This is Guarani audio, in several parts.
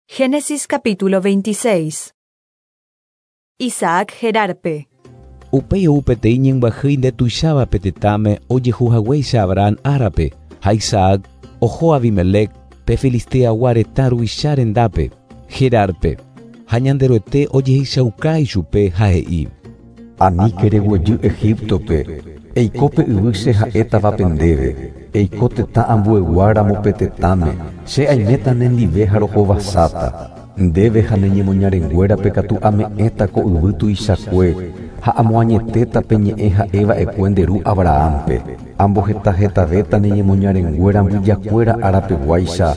Génesis capítulo 26. Isaac Gerarpe. Upéi ou peteĩ ñembyahýi ndetuicháva pe tetãme ojehu haguéicha Abraham árape, ha Isaac oho Abimelec pe Filisteagua retã ruvicha rendápe, Gerarpe, ha Ñanderuete ojehechauka ichupe ha he'i: Aníke reguejy Egíptope, eiko pe yvy che ha'étavape ndéve, eiko tetã ambueguáramo pe tetãme, che aiméta nendive ha rohovasáta. Ndéve ha ne ñemoñarenguérape katu ame'ẽta ko yvy tuichakue ha amoañetéta pe ñe'ẽ ha'eva'ekue nde ru Abrahampe. Ambohetahetavéta ne ñemoñarenguéra mbyjakuéra árapeguáicha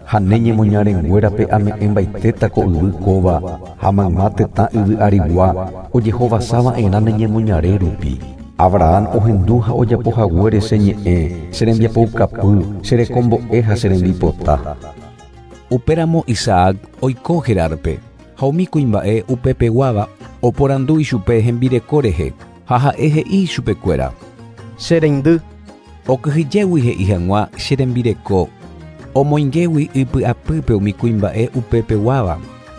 ha ne ñemoñarenguérape ame'ẽmbaitéta ko yvy kóva ha mayma tetã yvy arigua ojehovasava'erã ne ñemoñare rupi. Abraham ohendu ha ojapohaguére che ñe'ẽ, che rembiapoukapy, che rekombo'e ha che rembipota. Upéramo Isaac oiko Gerarpe, ha umi kuimba'e upepeguáva oporandu ichupe hembireko rehe, ha ha'e he'i ichupekuéra: Che reindy. Okyhyjégui he'i hag̃ua che rembireko, omoingégui ipy'apýpe umi kuimba'e upepeguáva,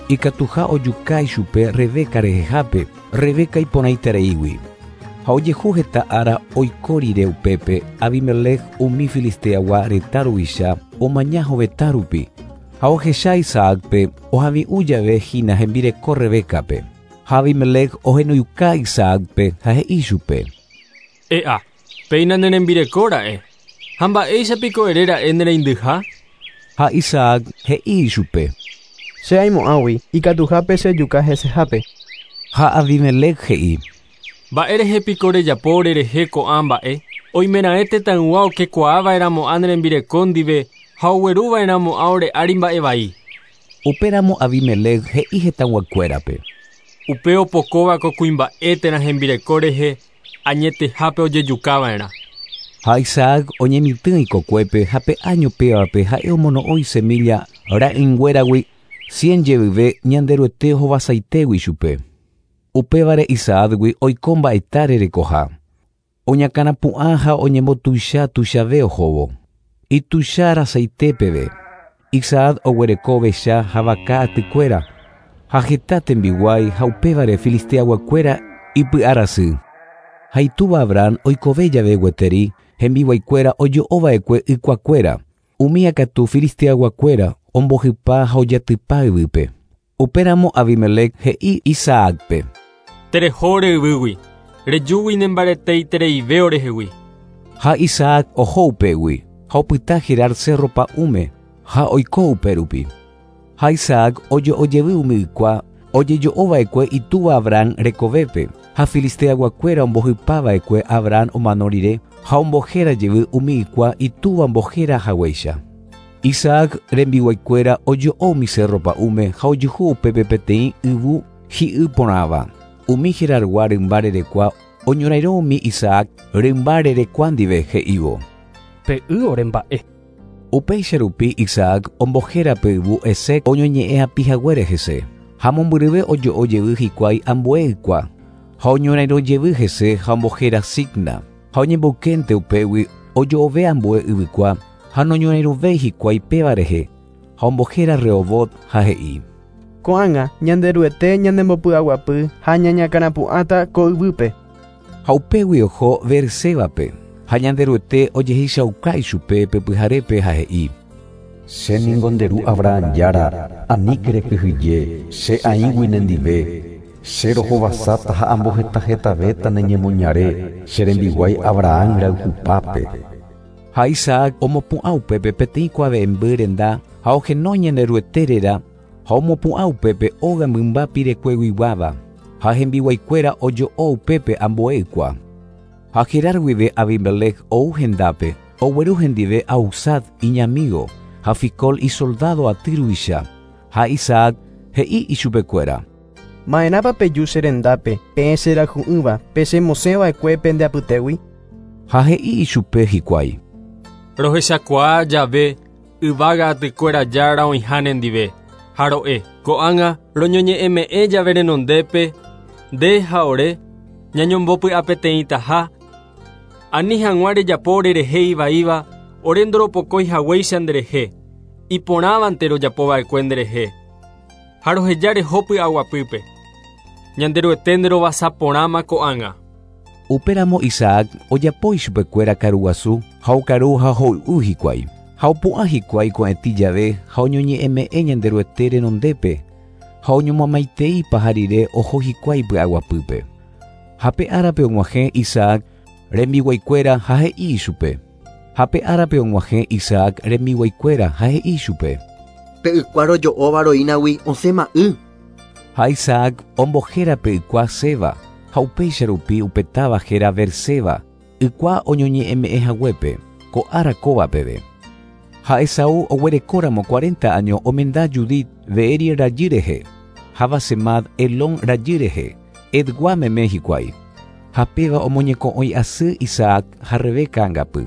ikatuha ojuka ichupe Rebeca rehehápe, Rebeca iporãitereígui. Ha ojehu heta ára oiko rire upépe, Abimelec umi Filisteagua retã ruvicha omaña hovetã rupi, ha ohecha Isaácpe ohavi'ũ jave hína hembireko Rebecape. Ha Abimelec ohenoiuka Isaácpe ha he'i chupe: E'a, péina ne rembireko ra'e. Ha mba'éicha piko ere ra'e ne reindyha? Ha Isaac he'i ichupe: Che aimo'ãgui ikatuhápe chejuka hesehápe. Ha Abimelec he'i: Mba'e rehe piko rejapo orerehe ko'ã mba'e? Oimeraẽ tetãygua okekuaava'erãmo'ã ne rembireko ndive ha ogueruva'erãmo'ã ore ári mba'e vai. Upéramo Abimelec he'i hetãguakuérape: Upe opokóva ko kuimba'e térã hembireko rehe añetehápe ojejukava'erã. Ha Isaac oñemitỹ ikokuépe ha pe áño pévape ha'e omono'õ isemilla ra'ỹinguéragui cien jevyve Ñanderuete ohovasaitégui chupe. Upévare Isaácgui oiko mba'eta rerekoha. Oñakãrapu'ã ha oñembotuicha tuichave ohóvo. Ituicha rasaite peve. Isaac oguereko ovecha ha vaka atykuéra ha heta tembiguái ha upévare Filisteaguakuéra ipy'arasy. Ha itúva Abraham oikove jave gueteri hembiguaikuéra ojo'ova'ekue ykuakuéra. Umía katu Filisteaguakuéra ombohypa ha ojatypa yvýpe. Upéramo Abimelec he'i Isaácpe: Tereho ore yvýgui, rejúgui nembareteitereive orehegui. Ha Isaac oho upégui, ha opyta Gerar cerro pa'ũme, ha oiko upérupi. Ha Isaac ojo'ojevy umi ykua ojejo'ova'ekue itúva Abraham rekovépe, ha Filisteaguakuéra ombohypava'ekue Abraham omano rire ha ombohéra jevy umi ykua itúva ombohéra haguéicha. Isaac rembiguaikuéra ojo'o umi cerro pa'ũme ha ojuhu upépe peteĩ yvu hi'y porãva. Umi Gerargua rymba rerekua oñorairõ umi Isaac rymba rerekua ndive he'ívo: Pe y ore mba'e. Upéicha rupi Isaac ombohéra pe yvu Esec oñoñe'ẽ apihaguére hese. Ha mombyryve ojo'o jevy hikuái ambue ykua. Ha oñorairõ jevy hese ha ombohéra Sitna. Ha oñemboykénte upégui ojo'ove ambue yvykua ha noñorairõvéi hikuái péva rehe. Ha ombohéra Rehobot ha he'i: Ko'ág̃a Ñanderuete ñanembopy'aguapy ha ñañakãrapu'ãta ko yvýpe. Ha upégui oho Beersébape. Ha Ñanderuete ojehechauka ichupe pe pyharépe ha he'i: Che ningo nde ru Abraham Jára, aníke rekyhyje, che aĩgui nendive. Che rohovasáta ha ambohetahetavéta ne ñemoñare, che rembiguái Abraham rayhupápe. Ha Isaac omopu'ã upépe peteĩ kuave'ẽmby renda ha ohenói Ñanderuete réra ha omopu'ã upépe óga mymba pirekueguiguáva ha hembiguaikuéra ojo'o upépe ambue ykua. Ha Gerar guive Abimelec ou hendápe, ogueru hendive Ahuzat iñamígo ha Ficol isoldádo aty ruvicha. Ha Isaac he'i ichupekuéra: Ma'erãpa peju che rendápe, peẽ cherayhu'ỹva, pechemosẽva'ekue pende apytégui? Ha he'i ichupe hikuái: Rohechakuaa jave yvága atykuéra Jára oĩha nendive. Ha ro'e, ko'ág̃a roñoñe'ẽme'ẽ jave renondépe, nde ha ore ñañombopy'apeteĩtaha, ani hag̃ua rejapo orerehe ivaíva, ore ndoropokói haguéicha nderehe, iporãvante rojapova'ekue nderehe. Ha roheja reho py'aguapýpe. Ñanderuete nderovasa porãma ko'ág̃a. Upéramo Isaac ojapo ichupekuéra karuguasu ha okaru ha hoy'u hikuái. Ha opu'ã hikuái ko'ẽtĩ jave ha oñoñe'ẽme'ẽ Ñanderuete renondépe ha oñomomaitei paha rire oho hikuái py'aguapýpe. Ha pe árape og̃uahẽ Isaac rembiguaikuéra ha he'i ichupe. Ha pe árape og̃uahẽ Isaac rembiguaikuéra ha he'i ichupe. Pe ykua rojo'óva roínagui osẽma y. Ha Isaac ombohéra pe ykua Seba ha upéicha rupi upe táva héra Beerseba, ykua oñoñe'ẽme'ẽ haguépe, ko ára kóva peve. Ha Esaú oguerekóramo 40 año omenda Judith Beeri rajy rehe, ha Basemat Elón rajy rehe, Hetgua meme hikuái. Ha péva omoñeko'õi asy Isaac ha Rebeca angapy.